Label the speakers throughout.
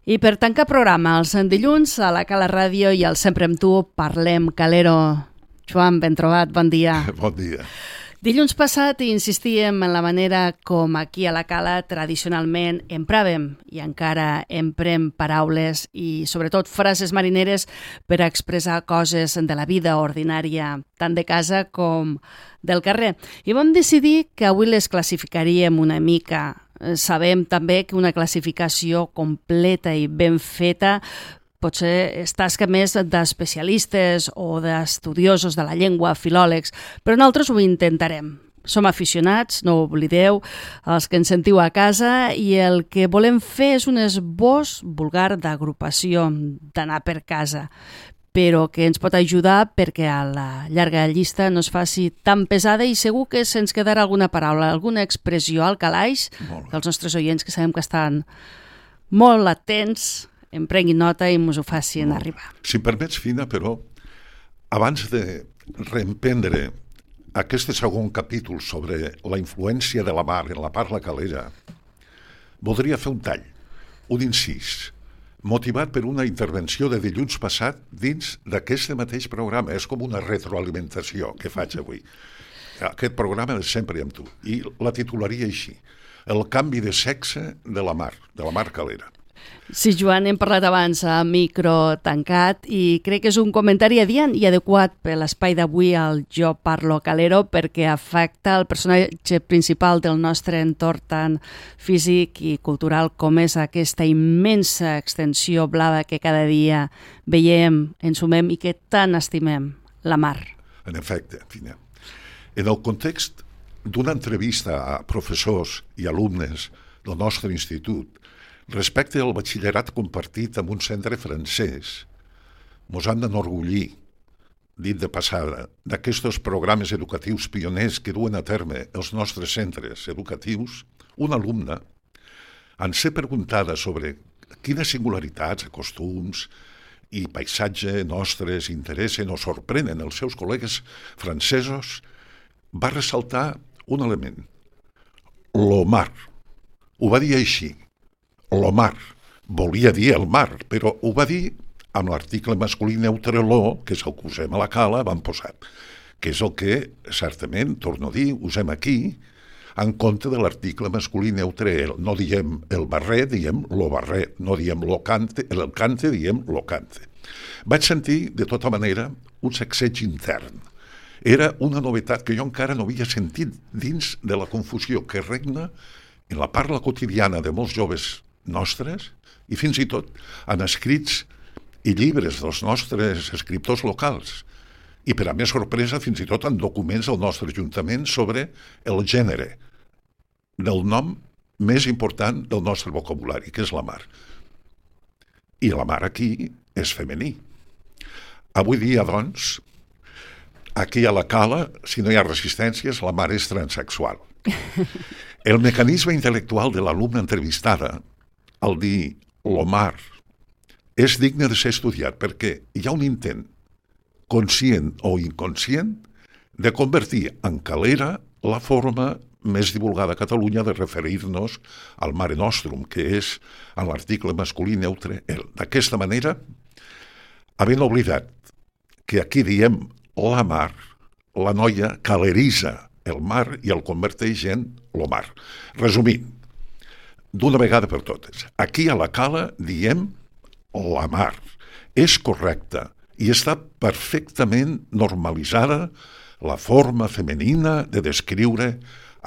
Speaker 1: I per tancar programa, els dilluns a la Cala Ràdio i al Sempre amb tu parlem calero. Joan, ben trobat, bon dia.
Speaker 2: Bon dia.
Speaker 1: Dilluns passat insistíem en la manera com aquí a la Cala tradicionalment empràvem i encara emprem paraules i sobretot frases marineres per a expressar coses de la vida ordinària, tant de casa com del carrer. I vam decidir que avui les classificaríem una mica. Sabem també que una classificació completa i ben feta potser és tasca més d'especialistes o d'estudiosos de la llengua, filòlegs, però nosaltres ho intentarem. Som aficionats, no ho oblideu, els que ens sentiu a casa, i el que volem fer és un esbós vulgar d'agrupació, d'anar per casa, però que ens pot ajudar perquè a la llarga llista no es faci tan pesada i segur que se'ns quedarà alguna paraula, alguna expressió al calaix dels nostres oients que sabem que estan molt atents, en prenguin nota i ens ho facin arribar.
Speaker 2: Si em permets, Fina, però, abans de reemprendre aquest segon capítol sobre la influència de la mar en la parla calera, voldria fer un tall, un incís, motivat per una intervenció de dilluns passat dins d'aquest mateix programa. És com una retroalimentació que faig avui. Aquest programa és Sempre amb tu. I la titularia així: el canvi de sexe de la mar calera.
Speaker 1: Sí, Joan, hem parlat abans a micro tancat i crec que és un comentari adient i adequat per l'espai d'avui al Jo Parlo Calero perquè afecta el personatge principal del nostre entorn tan físic i cultural com és aquesta immensa extensió blava que cada dia veiem, ensumem i que tant estimem, la mar.
Speaker 2: En efecte, Fina. En el context d'una entrevista a professors i alumnes del nostre institut respecte al batxillerat compartit amb un centre francès, mos han d'enorgullir, dit de passada, d'aquests programes educatius pioners que duen a terme els nostres centres educatius. Una alumna, en ser preguntada sobre quines singularitats, costums i paisatge nostres interessen o sorprenen els seus col·legues francesos, va ressaltar un element: lo mar. Ho va dir així. Lo mar. Volia dir el mar, però ho va dir amb l'article masculí neutre lo, que és el que usem a la Cala, van posar, que és el que, certament, torno a dir, usem aquí, en compte de l'article masculí neutre el. No diem el barret, diem lo barret. No diem el cante, diem lo cante. Vaig sentir, de tota manera, un sacseig intern. Era una novetat que jo encara no havia sentit dins de la confusió que regna en la parla quotidiana de molts joves nostres i fins i tot en escrits i llibres dels nostres escriptors locals i, per a més sorpresa, fins i tot en documents del nostre ajuntament sobre el gènere del nom més important del nostre vocabulari, que és la mar. I la mar aquí és femení. Avui dia, doncs, aquí a la Cala, si no hi ha resistències, la mar és transsexual. El mecanisme intel·lectual de l'alumna entrevistada, al dir lo mar, és digne de ser estudiat perquè hi ha un intent, conscient o inconscient, de convertir en calera la forma més divulgada a Catalunya de referir-nos al Mare Nostrum, que és en l'article masculí neutre el. D'aquesta manera, havent oblidat que aquí diem la mar, la noia caleritza el mar i el converteix en lo mar. Resumint, d'una vegada per totes, aquí a la Cala diem la mar. És correcta i està perfectament normalitzada la forma femenina de descriure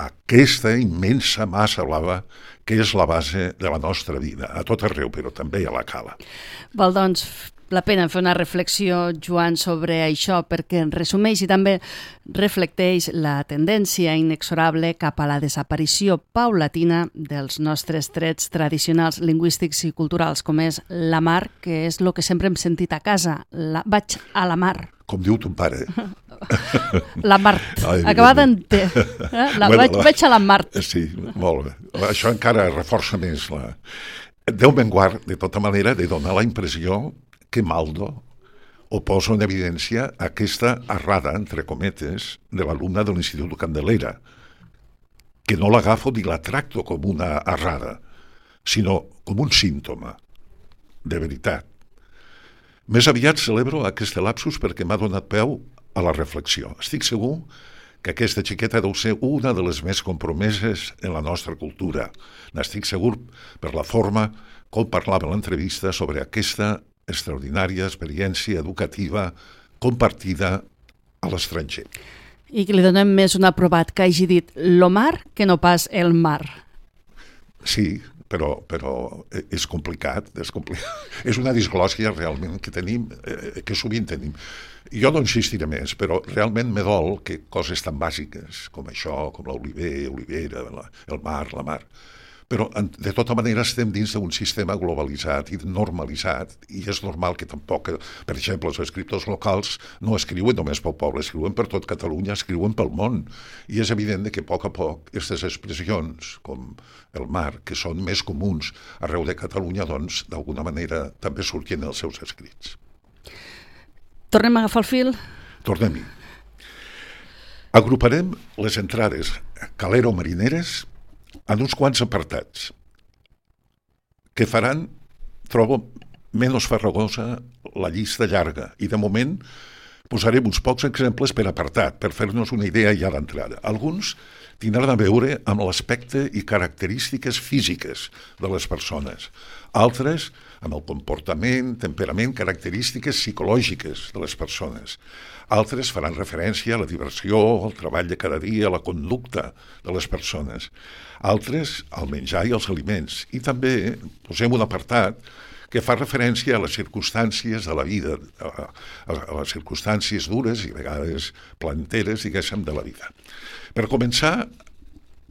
Speaker 2: aquesta immensa massa blava que és la base de la nostra vida, a tot arreu, però també a la Cala.
Speaker 1: Val, doncs, la pena fer una reflexió, Joan, sobre això, perquè resumeix i també reflecteix la tendència inexorable cap a la desaparició paulatina dels nostres trets tradicionals lingüístics i culturals, com és la mar, que és el que sempre hem sentit a casa. Vaig a la mar.
Speaker 2: Com diu ton pare.
Speaker 1: La Mart. Acabada en T. Vaig a la Mart.
Speaker 2: Sí, molt bé. Això encara reforça més la... Déu me'n guard, de tota manera, de donar la impressió que Maldo ho posa en evidència aquesta errada, entre cometes, de l'alumna de l'Institut Candelera, que no l'agafo ni la tracto com una errada, sinó com un símptoma. de veritat. Més aviat celebro aquest lapsus perquè m'ha donat peu a la reflexió. Estic segur que aquesta xiqueta deu ser una de les més compromeses en la nostra cultura. N'estic segur per la forma com parlava en l'entrevista sobre aquesta extraordinària experiència educativa compartida a l'estranger.
Speaker 1: I que li donem més un aprovat que hagi dit l'Omar que no pas el mar.
Speaker 2: Sí, però és complicat, és una disglòssia realment que tenim, que sovint tenim. Jo no insistiré més, però realment me dol que coses tan bàsiques com això, com l'olivera, el mar, la mar, però de tota manera estem dins d'un sistema globalitzat i normalitzat, i és normal que tampoc, per exemple, els escriptors locals no escriuen només pel poble, escriuen per tot Catalunya, escriuen pel món, i és evident que a poc aquestes expressions, com el mar, que són més comuns arreu de Catalunya, doncs, d'alguna manera també surten els seus escrits.
Speaker 1: Tornem a agafar el fil?
Speaker 2: Tornem-hi. Agruparem les entrades calero-marineres en uns quants apartats que faran, trobo, menys farragosa la llista llarga, i de moment posarem uns pocs exemples per apartat, per fer-nos una idea ja d'entrada. Alguns tindran a veure amb l'aspecte i característiques físiques de les persones, altres amb el comportament, temperament, característiques psicològiques de les persones. Altres faran referència a la diversió, al treball de cada dia, a la conducta de les persones. Altres al menjar i als aliments. I també posem un apartat que fa referència a les circumstàncies de la vida, a les circumstàncies dures i a vegades planteres, diguéssim, de la vida. Per començar,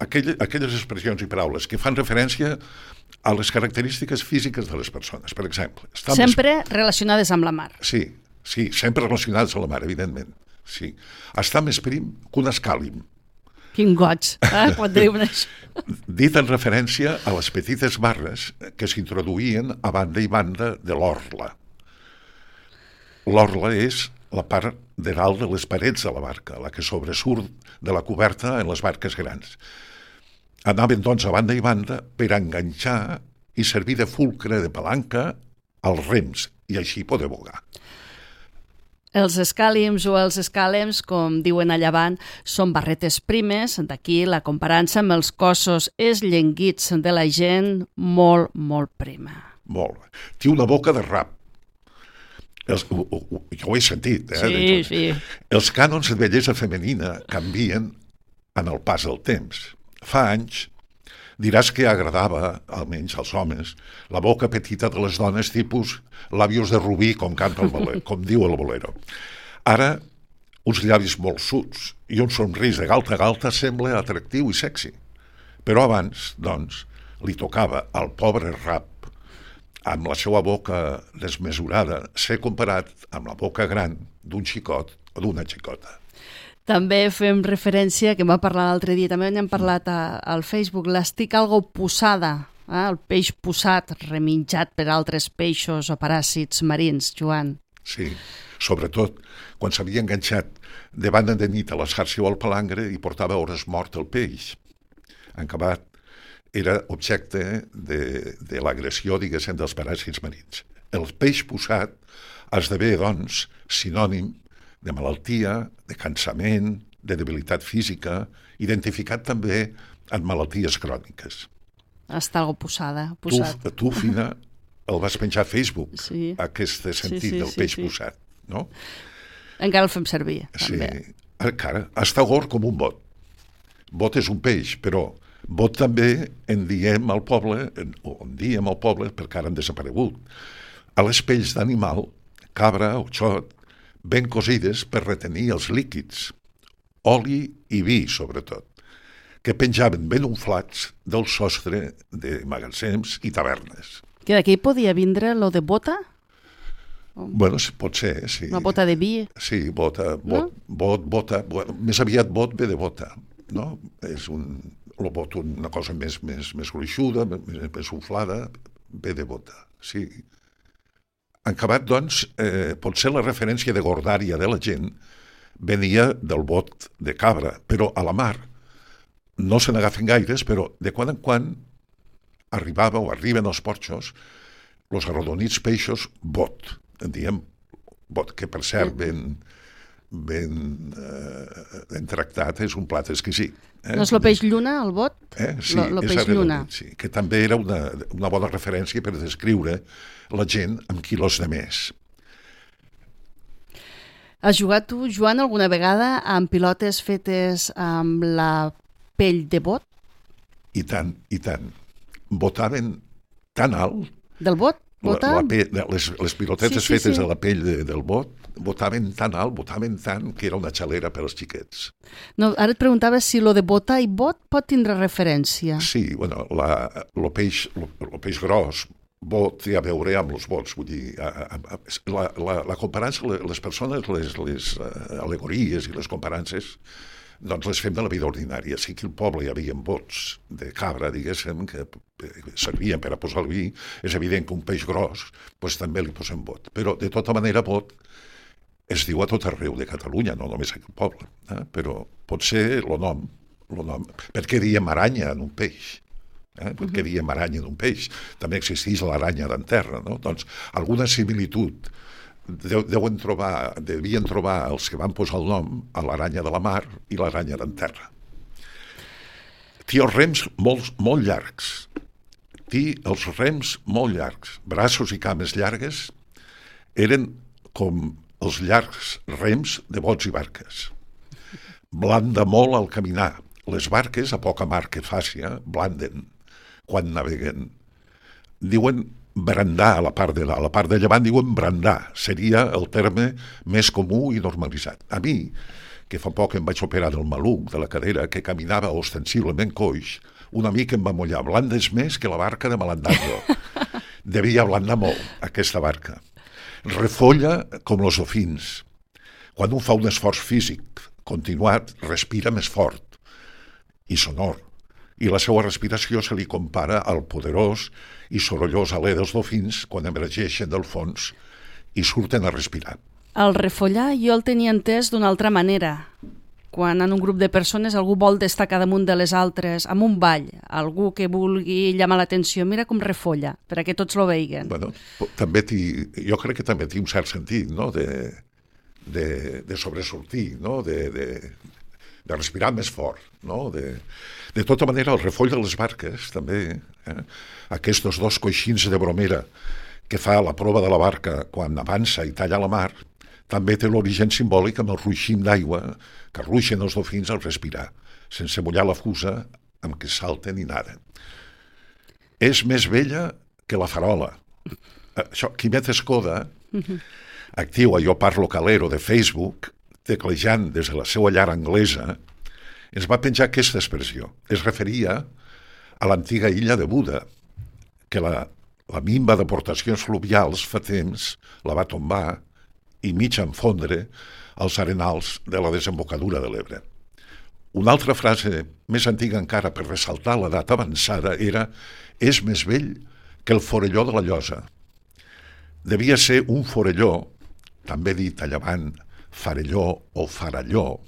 Speaker 2: aquelles expressions i paraules que fan referència a les característiques físiques de les persones. Per exemple...
Speaker 1: Sempre relacionades amb la mar.
Speaker 2: Sí, sempre relacionades amb la mar, evidentment. Sí. Està més prim que un escàlim.
Speaker 1: Quin goig, pot dir-me això.
Speaker 2: Dit en referència a les petites barres que s'introduïen a banda i banda de l'orla. L'orla és la part de dalt de les parets de la barca, la que sobresurt de la coberta en les barques grans. Anaven, doncs, a banda i banda per enganxar i servir de fulcre de palanca als rems, i així poder vogar.
Speaker 1: Els escàlims o els escàlems, com diuen a Llevant, són barretes primes, d'aquí la comparança amb els cossos esllenguits de la gent molt, molt prima.
Speaker 2: Molt. Té una boca de rap. Jo ho he sentit.
Speaker 1: Sí.
Speaker 2: Els cànons de bellesa femenina canvien en el pas del temps. Fa anys diràs que agradava, almenys als homes, la boca petita de les dones tipus làbios de rubí, com canta el bolero, com diu el bolero. Ara, uns llavis molt suts i un somrís de galta a galta sembla atractiu i sexy. Però abans, doncs, li tocava al pobre rap, amb la seva boca desmesurada, ser comparat amb la boca gran d'un xicot o d'una xicota.
Speaker 1: També fem referència, que m'ha parlat l'altre dia, també n'hem parlat al Facebook, l'estic algo posada, el peix posat, reminjat per altres peixos o paràsits marins, Joan.
Speaker 2: Sí, sobretot quan s'havia enganxat de banda de nit a la xarxa o al palangre i portava hores mort el peix. En acabat, era objecte de l'agressió, diguéssim, dels paràsits marins. El peix posat esdevé, doncs, sinònim de malaltia, de cansament, de debilitat física, identificat també en malalties cròniques.
Speaker 1: Està algo posada, posat.
Speaker 2: Tu, Fina, el vas penjar a Facebook,
Speaker 1: sí.
Speaker 2: Aquest sentit del peix posat, no?
Speaker 1: Encara el fem servir, també.
Speaker 2: Sí, encara. Està gord com un bot. Bot és un peix, però bot també en diem al poble, perquè ara han desaparegut, a les pells d'animal, cabra o xot, ben cosides per retenir els líquids, oli i vi, sobretot, que penjaven ben unflats del sostre de magatzems i tavernes.
Speaker 1: Que d'aquí podia vindre lo de bota?
Speaker 2: Bueno, pot ser, sí.
Speaker 1: Una bota de vi?
Speaker 2: Sí, bota. Més aviat bot ve de bota, no? És una cosa més gruixuda, més unflada, ve de bota, sí. En acabat, doncs, potser la referència de gordària de la gent venia del bot de cabra, però a la mar no se n'agafen gaires, però de quan en quan arriben els porxos els arrodonits peixos bot, en diem bot, que per cert ben tractat és un plat exquisit.
Speaker 1: No és el peix lluna, el bot?
Speaker 2: Sí,
Speaker 1: el
Speaker 2: és
Speaker 1: peix lluna.
Speaker 2: Sí, que també era una bona referència per descriure la gent amb quilos de més.
Speaker 1: Has jugat tu, Joan, alguna vegada amb pilotes fetes amb la pell de bot?
Speaker 2: I tant, i tant. Botaven tan alt...
Speaker 1: Del bot?
Speaker 2: Les pilotetes fetes de la pell del bot botaven tan alt, botaven tant, que era una xalera per als xiquets.
Speaker 1: No, ara et preguntava si lo de botar i bot pot tindre referència.
Speaker 2: Sí, bueno, el peix gros, bot té a veure amb els bots, vull dir, la comparança, les persones, les al·legories i les comparances, doncs les fem de la vida ordinària. Sí que al poble hi havia bots de cabra, diguéssim, que servien per a posar el vi. És evident que un peix gros doncs també li posem bot. Però, de tota manera, bot es diu a tot arreu de Catalunya, no només aquí al poble. Però pot ser el nom. Per què diem aranya en un peix? Per què diem aranya en un peix? També existeix l'aranya d'en terra, no? Doncs alguna similitud devien trobar els que van posar el nom a l'aranya de la mar i l'aranya d'en terra. Té els rems molt llargs. Braços i cames llargues, eren com els llargs rems de bots i barques. Blanda molt al caminar. Les barques, a poca mar que faci, blanden quan naveguen. Diuen brandar, a la part de llevant diuen brandar, seria el terme més comú i normalitzat. A mi, que fa poc em vaig operar del maluc, de la cadera, que caminava ostensiblement coix, un amic em va mullar, blandes més que la barca de Malandando. Devia blandar molt, aquesta barca. Refolla com els dofins. Quan un fa un esforç físic continuat, respira més fort i sonor, i la seva respiració se li compara al poderós i sorollós alè dels dofins quan emergeixen del fons i surten a respirar.
Speaker 1: El refollar jo el tenia entès d'una altra manera. Quan en un grup de persones algú vol destacar damunt de les altres, amb un ball, algú que vulgui llamar l'atenció, mira com refolla, perquè tots lo veiguen.
Speaker 2: Bueno, jo crec que també té un cert sentit, no?, de sobresortir, no?, de respirar més fort, no?, de tota manera, el refoll de les barques, també, aquests dos coixins de bromera que fa la prova de la barca quan avança i talla la mar, també té l'origen simbòlic amb el ruixim d'aigua que ruixen els dofins al respirar, sense mullar la fusa amb què salten i naden. És més vella que la farola. Això, Quimet Escoda, actiu a Jo Parlo Calero de Facebook, teclejant des de la seva llar anglesa, ens va penjar aquesta expressió. Es referia a l'antiga illa de Buda, que la minva d'aportacions fluvials fa temps la va tombar i mig enfondre als arenals de la desembocadura de l'Ebre. Una altra frase més antiga encara per ressaltar l'edat avançada era «és més vell que el forelló de la llosa». Devia ser un forelló, també dit a llevant farelló o faralló,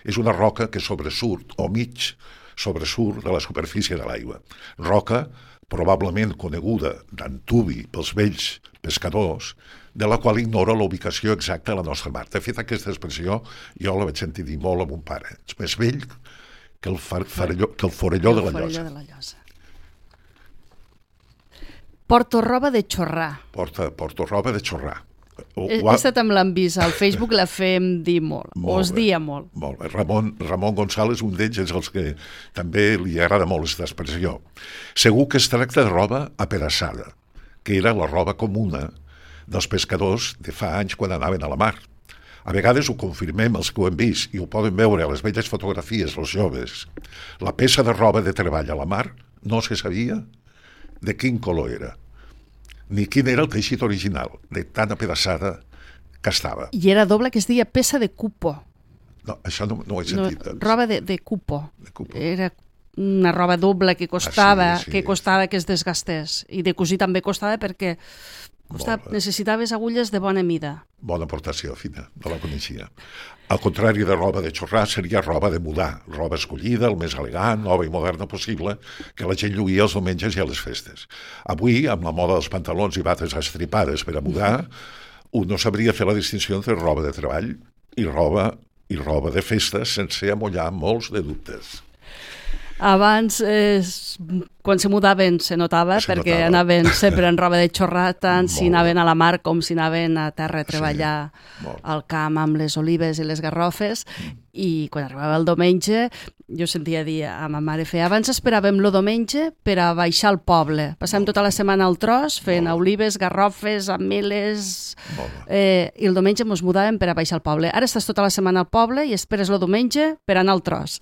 Speaker 2: és una roca que sobresurt o mig sobresurt de la superfície de l'aigua. Roca probablement coneguda d'antuvi pels vells pescadors, de la qual ignora la ubicació exacta a la nostra mar. De fet, aquesta expressió jo la vaig sentir dir molt a mon pare. És més vell que el forelló de la llosa.
Speaker 1: Porto roba de xorrar.
Speaker 2: Porto roba de xorrar.
Speaker 1: Aquesta també l'han vist, al Facebook la fem dir molt, us dia molt.
Speaker 2: Molt bé. Ramon González, un d'ells, és els que també li agrada molt aquesta expressió. Segur que es tracta de roba apedaçada, que era la roba comuna dels pescadors de fa anys quan anaven a la mar. A vegades ho confirmem els que ho hem vist i ho poden veure a les velles fotografies, els joves. La peça de roba de treball a la mar no se sabia de quin color era, ni quin era el teixit original, de tan apedaçada que estava.
Speaker 1: I era doble, que es deia peça de cupo.
Speaker 2: No, això no ho he sentit.
Speaker 1: No, roba de cupo. Era una roba doble que costava, que es desgastés. I de cosir també costava perquè Ostap, necessitaves agulles de bona mida.
Speaker 2: Bona aportació, Fina, no la coneixia. Al contrari de roba de xorrar, seria roba de mudar, roba escollida, el més elegant, nova i moderna possible, que la gent lluïa els diumenges i a les festes. Avui, amb la moda dels pantalons i bates estripades per a mudar, un no sabria fer la distinció entre roba de treball i roba de festes sense amollar molts de dubtes.
Speaker 1: Abans, quan se mudaven, se notava, perquè anaven sempre en roba de xorrar, tant si anaven a la mar com si anaven a terra a treballar al camp amb les olives i les garrofes, i quan arribava el diumenge jo sentia dir a ma mare abans esperàvem el diumenge per a baixar al poble. Passàvem tota la setmana al tros fent olives, garrofes, ameles, i el diumenge ens mudàvem per a baixar al poble. Ara estàs tota la setmana al poble i esperes el diumenge per anar al tros.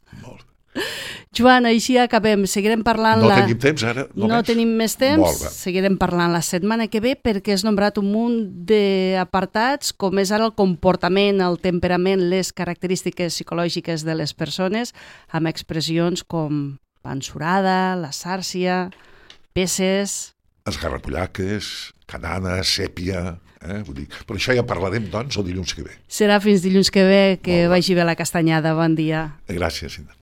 Speaker 1: Joan, així acabem. Seguirem parlant...
Speaker 2: No tenim temps ara?
Speaker 1: No tenim més temps. Seguirem parlant la setmana que ve perquè has nombrat un munt d'apartats, com és ara el comportament, el temperament, les característiques psicològiques de les persones, amb expressions com pansurada, la sàrcia, peces...
Speaker 2: Esgarrapollaques, canana, sèpia... Vull dir, però això ja parlarem, doncs, el dilluns que ve.
Speaker 1: Serà fins dilluns que ve, que vagi bé la castanyada. Bon dia.
Speaker 2: Gràcies, Ina.